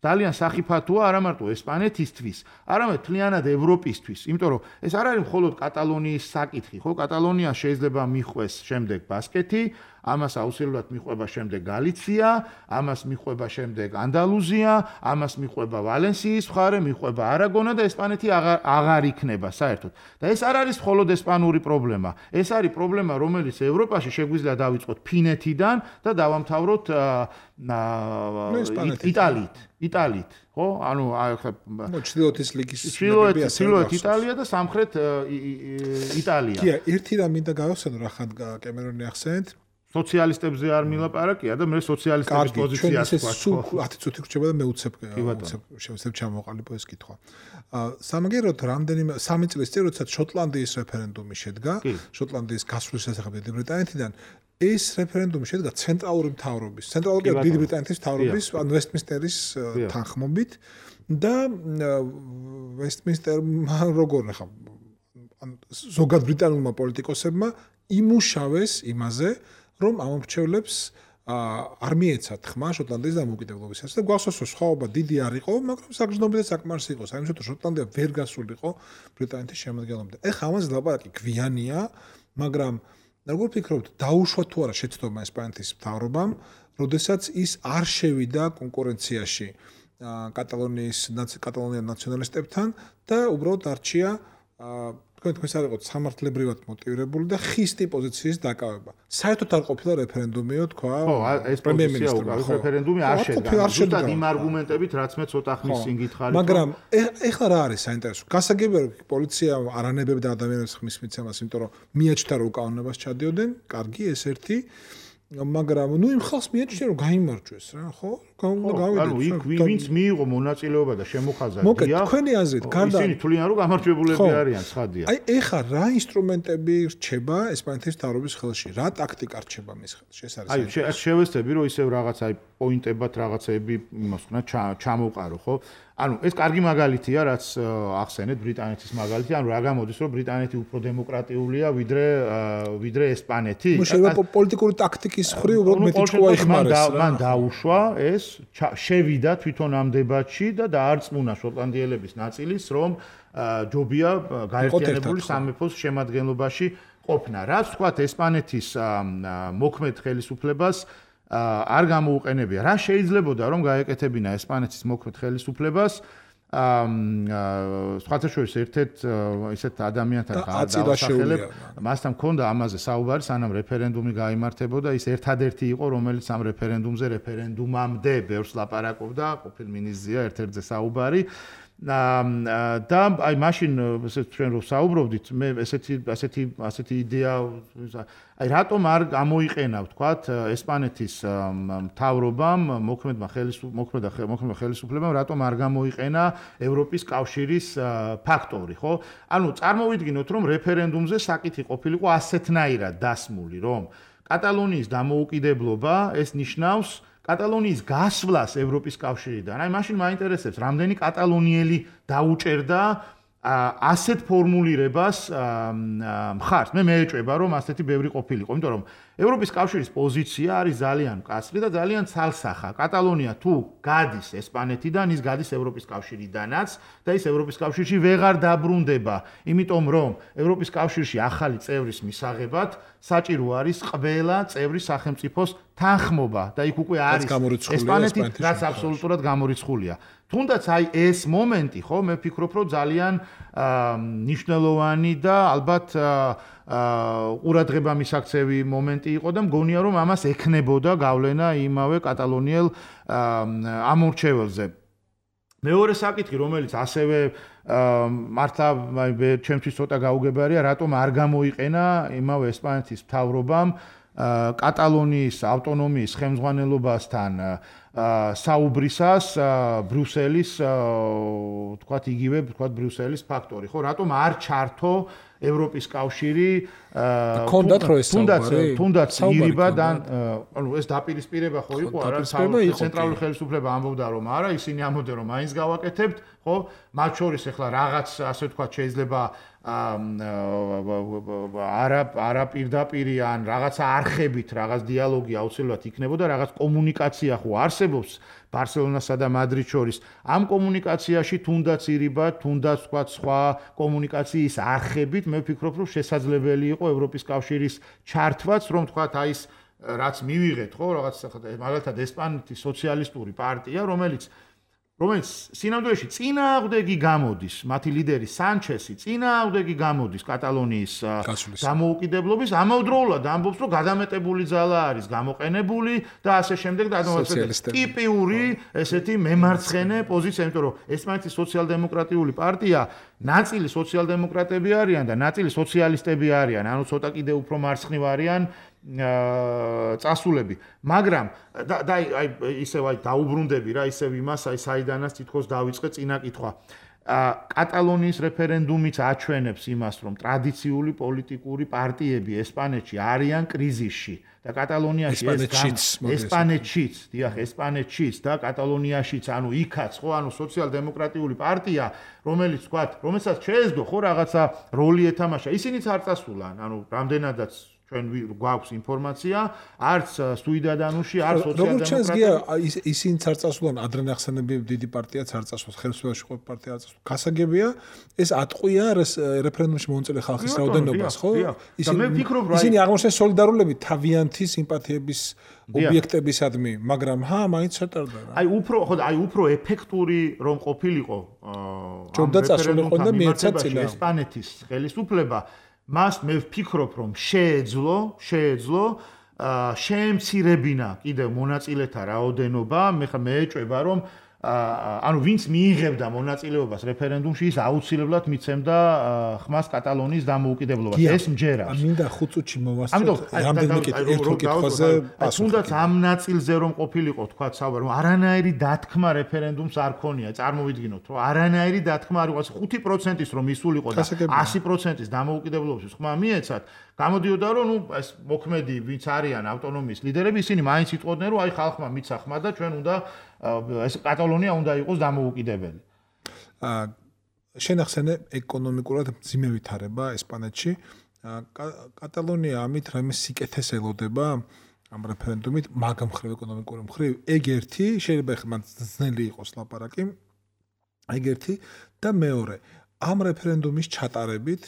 ძალიან სახიფათოა არა მარტო ესპანეთისთვის, არამედ მთლიანად ევროპისთვის, იმიტომ რომ ეს არ არის მხოლოდ კატალონიის საკითხი, ხო? კატალონია შეიძლება მიხვეს შემდეგ ბასკეთი, ამას აუცილებლად მიხვება შემდეგ გალიცია, ამას მიხვება შემდეგ ანდალუზია, ამას მიხვება ვალენსიის მხარე, მიხვება არაგონა და ესპანეთი აღარ იქნება საერთოდ. და ეს არ არის მხოლოდ ესპანური პრობლემა. ეს არის პრობლემა, რომელიც ევროპაში შეგვიძლია დავიწყოთ ფინეთიდან და დავამთავროთ იტალიით. იტალიით, ხო? ანუ ახლა ჩრდილოეთის ლიგის მებია ჩრდილოეთ იტალია და სამხრეთ იტალია. კი, ერთი რამ მინდა გავახსენო, რა ხან კემერონი ახსენეთ. სოციალისტებზე არ მილაპარაკია და მე სოციალისტების პოზიციას ვქვა. ათი წუთი რჩება და მე უცებ შევსებ ჩამოყალიბო ეს კითხვა. სამაგეროთ რამდენიმე სამი წლის წინ როდესაც შოტლანდიის რეფერენდუმი შედგა, შოტლანდიის გასვლის შესახებ დიდი ბრიტანეთიდან ეს რეფერენდუმი შედგა ცენტრალური მთავრობის, ცენტრალური დიდი ბრიტანეთის მთავრობის, ან ვესტმინსტერის თანხმობით და ვესტმინსტერმა როგორ ნახა ზოგად ბრიტანულმა პოლიტიკოსებმა იმუშავეს იმაზე, რომ ამომრჩევლებს არ მიეცათ ხმა შოტლანდიის დამოუკიდებლობისას და გვახსოვს რომ სხვაობა დიდი არ იყო, მაგრამ საგრძნობი და საკმარისი იყო, საერთოდ შოტლანდია ვერ გასულიყო ბრიტანეთის შემადგენლობიდან. ეხლა ამაზე ლაპარაკი გვიანია, მაგრამ როგორ ფიქრობთ, დაუშვა თუ არა შეცდომა ესპანეთის მთავრობამ, როდესაც ის არ შევიდა კონკურენციაში კატალონიის კატალონიელ ნაციონალისტებთან და უბრალოდ არჩია თქვენ თქვენს არ იყოთ სამართლებრივად მოტივირებული და ხისტი პოზიციის დაკავება. საერთოდ არ ყოფილა რეფერენდუმიო თქვა. ხო, ეს პრემიერ-მინისტრმა რეფერენდუმი არ შედგა. ზუსტად იმ არგუმენტებით, რაც მე ცოტა ხნის წინ გითხარით. მაგრამ ეხლა რა არის საინტერესო? გასაგებია რომ პოლიცია არანებებდა ადამიანებს ხმის მიცემას, იმიტომ რომ მიაჩნდა რომ უკანონობას ჩადიოდნენ. კარგი, ეს ერთი მაგრამ ნუ იმ ხალხს მიაჩნია რომ გაიმარჯვეს რა, ხო? გავიდეთ. ანუ იქ ვინც მიიღო მონაწილეობა და შემოხაზა მოკეთ თქვენი აზრით, გარდა ისინი თვლიან რომ გამარჯვებულები არიან, ცხადია. აი ეხა რა ინსტრუმენტები რჩება ესპანეთის მთავრობის ხელში? რა ტაქტიკა რჩება მის ხელში? ეს არის. აი შევეცდები რომ ისევ რაღაც აი პოინტებად რაღაცეები იმას ვქნა ჩამოვყარო, ხო? ანუ ეს კარგი მაგალითია, რაც ახსენეთ ბრიტანეთის მაგალითი, ანუ რა გამოდის რომ ბრიტანეთი უფრო დემოკრატიულია ვიდრე ვიდრე ესპანეთი. ნუ შეიძლება პოლიტიკური ტაქტიკის ხრი უბრალოდ მეტი ჭკუა იხმარეს რა. მან დაუშვა ეს შევიდა თვითონ ამ დებატში და დაარწმუნა შოტლანდიელების ნაწილის რომ ჯობია გაერთიანებული სამეფოს შემადგენლობაში ყოფნა. რაც თქვათ ესპანეთის მოქმედ ხელისუფლებას არ გამოუყენებია. რა შეიძლებოდა რომ გაეკეთებინა ესპანეთის მოქმედ ხელისუფლებას აა სხვათა შორის ერთ-ერთ ისეთ ადამიანთან გადაასახელებ, მასთან მქონდა ამაზე საუბარი, სანამ რეფერენდუმი გაიმართებოდა, ის ერთადერთი იყო, რომელიც ამ რეფერენდუმზე რეფერენდუმამდე ბევრს ლაპარაკობდა, ყოფილ მინისტრია ერთ-ერთზე საუბარი. და აი მაშინ ესე ჩვენ რო საუბრობდით, მე ესეთი ასეთი ასეთი იდეა აი რატომ არ გამოიყენა ვთქვათ ესპანეთის მთავრობამ მოქმედმა ხელისუფლებამ მოქმედმა ხელისუფლებამ რატომ არ გამოიყენა ევროპის კავშირის ფაქტორი, ხო? ანუ წარმოვიდგინოთ რომ რეფერენდუმზე საკითხი ყოფილიყო ასეთნაირად დასმული, რომ კატალონიის დამოუკიდებლობა ეს ნიშნავს კატალონიის გასვლას ევროპის კავშირიდან. აი მაშინ მაინტერესებს, რამდენი კატალონიელი დაუჭერდა ასეთ ფორმულირებას მხარს. მე მეეჭვება, რომ ასეთი ბევრი ყოფილიყო, იმიტომ რომ ევროპის კავშირის პოზიცია არის ძალიან მკაცრი და ძალიან ცალსახა. კატალონია თუ გადის ესპანეთიდან, ის გადის ევროპის კავშირიდანაც და ის ევროპის კავშირში ვეღარ დაბრუნდება, იმიტომ რომ ევროპის კავშირში ახალი წევრის მისაღებად საჭირო არის ყველა წევრის სახელმწიფოს თანხმობა და იქ უკვე არის ესპანეთი, რაც აბსოლუტურად გამორიცხულია. თუნდაც აი ეს მომენტი, ხო, მე ვფიქრობ, რომ ძალიან მნიშვნელოვანი და ალბათ ყურადღება მისაქცევი მომენტი იყო და მგონია რომ ამას ექნებოდა გავლენა იმავე კატალონიელ ამორჩეველზე. მეორე საკითხი, რომელიც ასევე მართლა ჩემთვის ცოტა გაუგებარია, რატომ არ გამოიყენა იმავე ესპანეთის მთავრობამ კატალონიის ავტონომიის ხელმძღვანელობასთან საუბრისას ბრიუსელის თქვათ იგივე თქვათ ბრიუსელის ფაქტორი, ხო, რატომ არ ჩართო ევროპის კავშირი კონდათ რო ეს საუბარი თუნდაც ირიბა და ანუ ეს დაპირისპირება ხო იყო არა ცენტრალური ხელისუფლება ამბობდა რომ არა ისინი ამბობდნენ რომ მაინც გავაკეთებთ ხო მათ შორის ახლა რაღაც ასე ვთქვათ შეიძლება არა არა პირდაპირი ან რაღაცა არხებით რაღაც დიალოგი აუცილებლად იქნებოდა რაღაც კომუნიკაცია ხო არსებობს ბარსელონასა და მადრიდს შორის ამ კომუნიკაციაში თუნდაც ირიბა თუნდაც ვთქვათ სხვა კომუნიკაციის არხებით მე ვფიქრობ რომ შესაძლებელი იყო ევროპის კავშირის ჩართვაც რომ ვთქვათ აი ეს რაც მივიღეთ ხო რაღაც მაგალითად ესპანეთის სოციალისტური პარტია რომელიც რომელიც სინამდვილეში წინააღმდეგი გამოდის მათი ლიდერი სანჩესი წინააღმდეგი გამოდის კატალონიის დამოუკიდებლობის ამავდროულად ამბობს რომ გადამეტებული ძალა არის გამოყენებული და ასე შემდეგ და ტიპიური ესეთი მემარცხენე პოზიცია იმიტომ რომ ესპანეთის სოციალ-დემოკრატიული პარტია ნაწილი სოციალ-დემოკრატები არიან და ნაწილი სოციალისტები არიან ანუ ცოტა კიდე უფრო მარცხნივ არიან წასულები მაგრამ და აი ისევ აი დაუბრუნდები რა ისევ იმას აი საიდანაც თითქოს დავიწყე წინა კითხვა კატალონიის რეფერენდუმიც აჩვენებს იმას რომ ტრადიციული პოლიტიკური პარტიები ესპანეთში არიან კრიზისში და კატალონიაში ეს ესპანეთშიც დიახ ესპანეთშიც და კატალონიაშიც ანუ იქაც ხო ანუ სოციალ-დემოკრატიული პარტია რომელიც თქვათ რომელსაც შეეძლო ხო რაღაცა როლი ეთამაშა ისინიც არ წასულან ანუ რამდენადაც ჩვენ გვაქვს ინფორმაცია, არც სუიდადანუში, არც სოციალ-დემოკრატია. როგორ ისინიც არ წასულან, ადრე ნახსენები დიდი პარტიაც არ წასულს, ხელისუფლებაში ყოფილი პარტია არ წასულს. გასაგებია, ეს ატყვია რეფერენდუმში მონაწილე ხალხის რაოდენობას, ხო? ისინი აღმოჩნდნენ სოლიდარულები თავიანთი სიმპათიების ობიექტებისადმი, მაგრამ ჰა, მაინც ჩატარდა რა. აი უფრო, ხო, აი უფრო ეფექტური რომ ყოფილიყო ჯობდა წასულიყო და მიეცა წინა ესპანეთის ხელისუფლება მას მე ვფიქრობ რომ შეეძლო შეეძლო შეემცირებინა კიდევ მონაწილეთა რაოდენობა მე ხა მეეჭვება რომ ანუ ვინც მიიღებდა მონაწილეობას რეფერენდუმში, ის აუცილებლად მიცემდა ხმას კატალონიის დამოუკიდებლობას. ეს მჯერავს. მინდა ხუთ წუთში მოვასწროთ რამდენიმე ერთ-ერთ კითხვაზე პასუხი. თუნდაც ამ ნაწილზე რომ ყოფილიყო, თქვა საუბარი, რომ არანაირი დათქმა რეფერენდუმს არ ქონია. წარმოვიდგინოთ, რომ არანაირი დათქმა არ იყო, ხუთი პროცენტის რომ ისულიყო და ასი პროცენტის დამოუკიდებლობის ხმა მიეცათ, გამოდიოდა რომ ნუ ეს მოქმედი ვინც არიან ავტონომიის ლიდერები, ისინი მაინც იტყოდნენ, რომ აი ხალხმა მიცა ხმა და ჩვენ უნდა ეს კატალონია უნდა იყოს დამოუკიდებელი. აა შენახსენე ეკონომიკურად მძიმე ვითარება ესპანეთში. კატალონია ამით რამე სიკეთეს ელოდება ამ რეფერენდუმით, მაგ მხრივ ეკონომიკური მხრივ, ეგ ერთი, შეიძლება ხმა ძნელი იყოს ლაპარაკი. ეგ ერთი და მეორე, ამ რეფერენდუმის ჩატარებით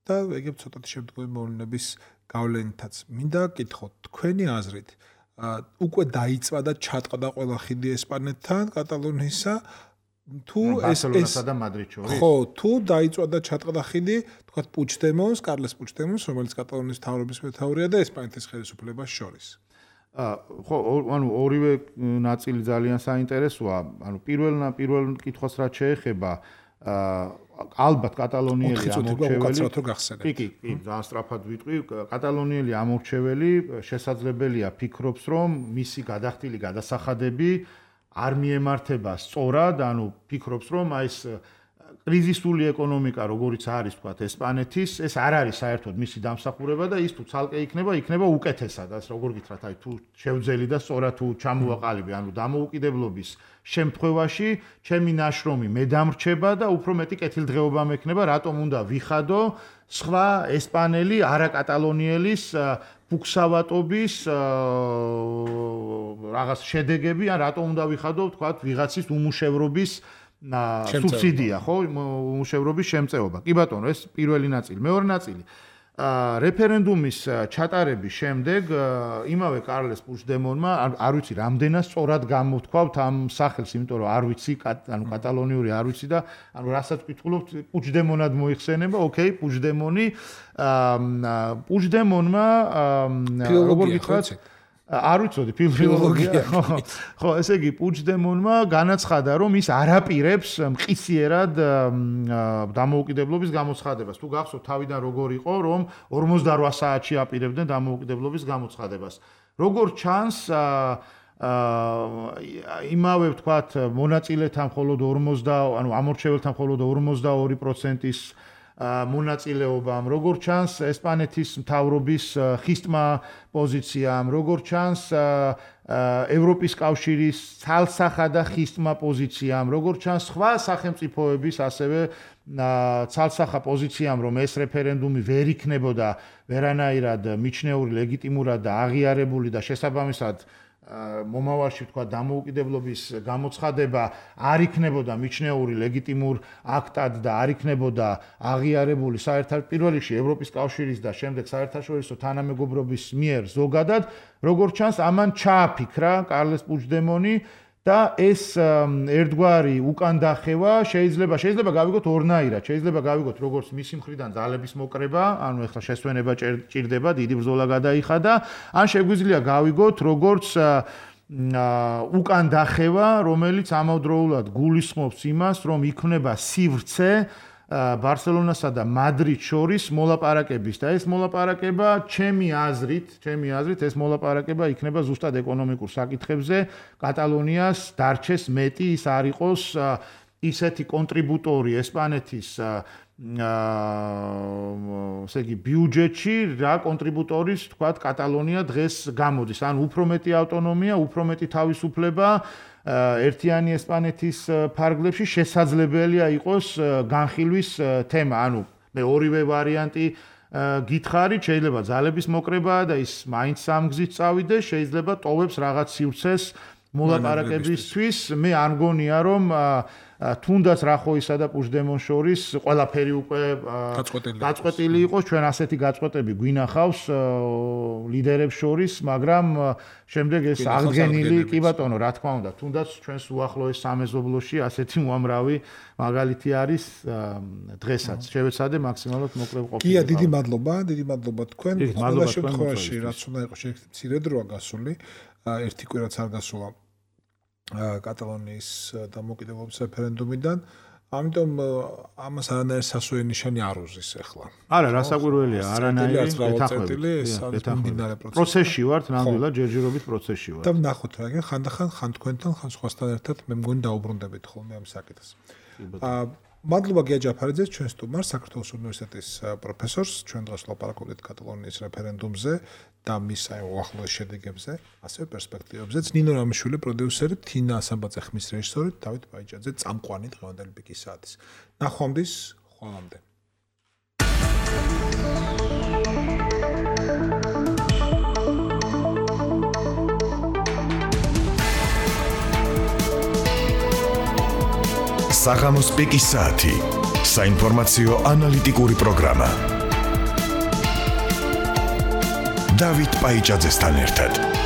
და ეგებ ცოტათი შემდგომი მოვლენების გავლენითაც მინდა გითხოთ თქვენი აზრით უკვე დაიწვა და ჩატყდა ყველა ხიდი ესპანეთთან კატალონიისა თუ ეს ბარსელონასა და მადრიდს შორის ხო თუ დაიწვა და ჩატყდა ხიდი თქვათ პუჩდემონს კარლეს პუჩდემონს რომელიც კატალონიის მთავრობის მეთაურია და ესპანეთის ხელისუფლებას შორის ხო ანუ ორივე ნაწილი ძალიან საინტერესოა ანუ პირველ პირველ კითხვას რაც შეეხება ალბათ კატალონიელი ამორჩეველი კი კი კი ძალიან სწრაფად ვიტყვი კატალონიელი ამორჩეველი შესაძლებელია ფიქრობს რომ მისი გადახდილი გადასახადები არ მიემართება სწორად ანუ ფიქრობს რომ აი ეს კრიზისული ეკონომიკა როგორიც არის თქვათ ესპანეთის ეს არ არის საერთოდ მისი დამსახურება და ის თუ ცალკე იქნება იქნება უკეთესად ასე როგორ გითხრათ აი თუ შევძელი და სწორად თუ ჩამოვაყალიბე ანუ დამოუკიდებლობის შემთხვევაში ჩემი ნაშრომი მე დამრჩება და უფრო მეტი კეთილდღეობა მექნება რატომ უნდა ვიხადო სხვა ესპანელი არაკატალონიელის ფუქსავატობის რაღაც შედეგები ან რატომ უნდა ვიხადო თქვათ ვიღაცის უმუშევრობის სუბსიდია ხო უმუშევრობის შემწეობა. კი ბატონო, ეს პირველი ნაწილი. მეორე ნაწილი. რეფერენდუმის ჩატარების შემდეგ იმავე კარლეს პუჩდემონმა არ ვიცი რამდენად სწორად გამოთქვავთ ამ სახელს, იმიტომ რომ არ ვიცი, ანუ კატალონიური არ ვიცი და ანუ რასაც ვკითხულობთ, პუჩდემონად მოიხსენება, ოკეი, პუჩდემონი პუჩდემონმა როგორ გითხრათ არ ვიცოდი ფილოლოგია ხო ესე იგი პუჩდემონმა განაცხადა რომ ის არაპირებს მყისიერად დამოუკიდებლობის გამოცხადებას თუ გახსოვთ თავიდან როგორ იყო რომ ორმოცდაოთხ საათში აპირებდნენ დამოუკიდებლობის გამოცხადებას როგორ ჩანს იმავე ვთქვათ მონაწილეთა მხოლოდ ორმოცდა ანუ ამორჩეველთა მხოლოდ ორმოცდაორი პროცენტის მონაწილეობამ როგორ ჩანს ესპანეთის მთავრობის ხისტმა პოზიციამ როგორ ჩანს ევროპის კავშირის ცალსახადა ხისტმა პოზიციამ როგორ ჩანს სხვა სახელმწიფოების ასევე ცალსახა პოზიციამ რომ ეს რეფერენდუმი ვერ იქნებოდა ვერანაირად მიჩნეული ლეგიტიმურად და აღიარებული და შესაბამისად მომავალში თქვა დამოუკიდებლობის გამოცხადება არ იქნებოდა მიჩნეული ლეგიტიმურ აქტად და არ იქნებოდა აღიარებული საერთაშორისო პირველ რიგში ევროპის კავშირის და შემდეგ საერთაშორისო თანამეგობრობის მიერ ზოგადად როგორც ჩანს ამან ჩააფიქრა კარლეს პუჩდემონი და ეს ერთგვარი უკან დახევა შეიძლება შეიძლება გავიგოთ ორნაირად შეიძლება გავიგოთ როგორც მისი მხრიდან ძალების მოკრება ანუ ეხლა შესვენება ჭირდება დიდი ბრძოლა გადაიხადა ან შეგვიძლია გავიგოთ როგორც უკან დახევა რომელიც ამავდროულად გულისხმობს იმას რომ იქნება სივრცე ბარსელონასა და მადრიდს შორის მოლაპარაკების და ეს მოლაპარაკება ჩემი აზრით, ჩემი აზრით ეს მოლაპარაკება იქნება ზუსტად ეკონომიკურ საკითხებზე, კატალონიას დარჩეს მეტი ის არ იყოს ისეთი კონტრიბუტორი ესპანეთის ესე იგი ბიუჯეტში რა კონტრიბუტორის თქვათ კატალონია დღეს გამოდის, ან უფრო მეტი ავტონომია, უფრო მეტი თავისუფლება ერთიანი ესპანეთის ფარგლებში შესაძლებელია იყოს განხილვის თემა. ანუ მე ორივე ვარიანტი გითხარით, შეიძლება ძალების მოკრება და ის მაინც სამგზით წავიდეს, შეიძლება ტოვებს რაღაც სივრცეს მოლაპარაკებისთვის. მე არ მგონია რომ თუნდაც რახოისა და პუჩდემონ შორის ყველაფერი უკვე გაწყვეტილი იყოს, ჩვენ ასეთი გაწყვეტები გვინახავს ლიდერებს შორის, მაგრამ შემდეგ ეს აღდგენილი, კი ბატონო, რა თქმა უნდა, თუნდაც ჩვენს უახლოეს სამეზობლოში ასეთი უამრავი მაგალითი არის დღესაც. შევეცადე მაქსიმალურად მოკლე ყოფილიყო. კი, დიდი მადლობა, დიდი მადლობა თქვენ. ყველა შემთხვევაში რაც უნდა იყოს, შეიძლება მცირე დროა გასული, ერთი კვირაც არ გასულა. კატალონიის დამოუკიდებლობის რეფერენდუმიდან. ამიტომ ამას არანაირი სასუე ნიშანი არ უზის ახლა. არა, რასაკვირველია, არანაირი ეთანხმებით. ეთანხმებით. პროცესში ვართ, ნამდვილად ჯერჯერობით პროცესში ვართ. და ვნახოთ რა, ხანდახან ხან თქვენთან, ხან სხვასთან ერთად მე მგონი დაუბრუნდებით ხოლმე ამ საკითხს. აა მადლობა გია ჯაფარიძეს, ჩვენ სტუმარს, საქართველოს უნივერსიტეტის პროფესორს, ჩვენ დღეს ვლაპარაკობთ კატალონიის რეფერენდუმზე და მის აი უახლოეს შედეგებზე, ასევე პერსპექტივებზეც. ნინო რამიშვილი პროდიუსერი, თინა ასამბაძე ხმის რეჟისორი, დავით ბაიჭაძე წამყვანი დღევანდელი პიკის საათის. ნახვამდის, ხვალამდე. საღამოს პიკის საათი. საინფორმაციო ანალიტიკური პროგრამა. დავით ბაიჭაძესთან ერთად.